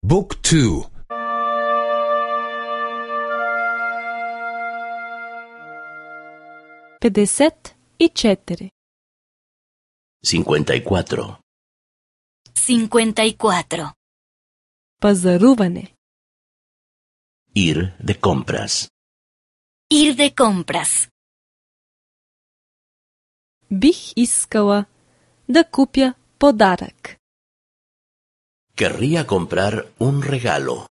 บุ๊กทู54 54. 54. Пазаруване. Ir de compras. Ir de compras. Бих искала да купя подарък. Querría comprar un regalo,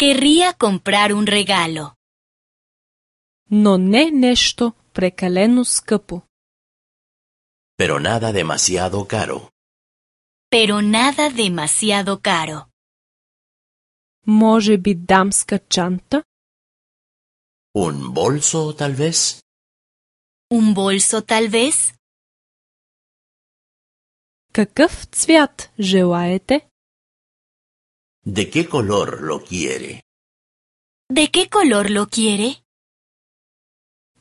Querría comprar un regalo, Но не нещо прекалено скъпо. pero nada demasiado caro. pero nada demasiado caro. Може би дамска чанта? ¿Un bolso, tal vez? ¿Un bolso tal vez? Какъв цвят желаете? ¿De qué color lo quiere? ¿De qué color lo quiere?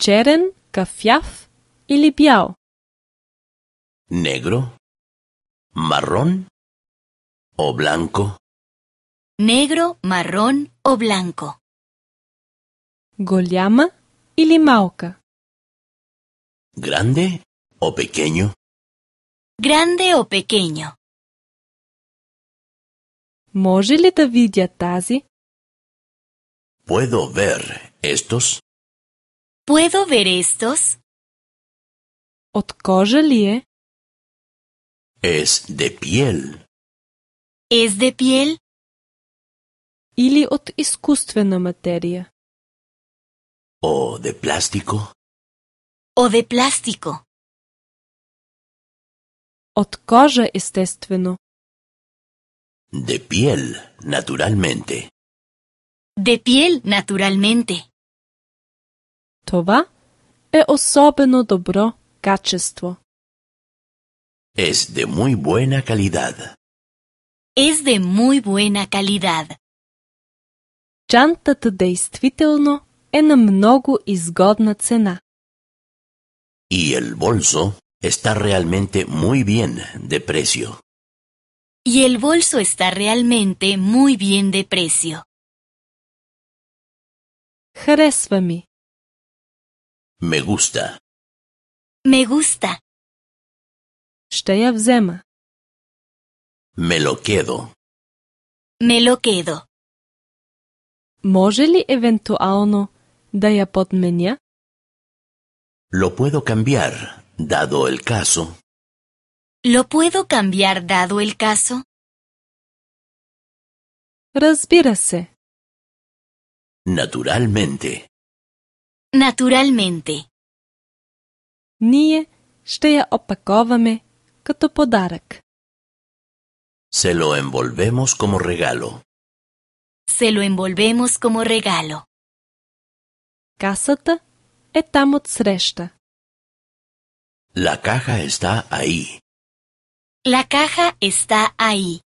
Черен, кафяв или бял? ¿Negro? ¿Marrón? ¿O blanco? ¿Negro, marrón o blanco? Голяма или малка? ¿Grande o pequeño? ¿Grande o pequeño? Може ли да видя тази? ¿Puedo ver estos? ¿Puedo ver estos? От кожа ли е? Es de piel. ¿Es de piel Или от изкуствена материя? ¿O de plástico? o de plástico? От кожа, естествено. De piel, naturalmente. De piel, naturalmente. Това е особено добро качество. Es de muy buena calidad. Es de muy buena calidad. Чантата действително е на много изгодна цена. Y el bolso está realmente muy bien de precio. Y el bolso está realmente muy bien de precio. Харесва ми. Me gusta. Me gusta. Ще я взема. Me lo quedo. Me lo quedo. Може ли евентуално да я подменя? Lo puedo cambiar, dado el caso. ¿Lo puedo cambiar dado el caso? Разбира се. Naturalmente. Naturalmente. Ние ще я опаковаме като подарък. Se lo envolvemos como regalo. Se lo envolvemos como regalo. Касата е там отсреща. La caja está ahí. La caja está ahí.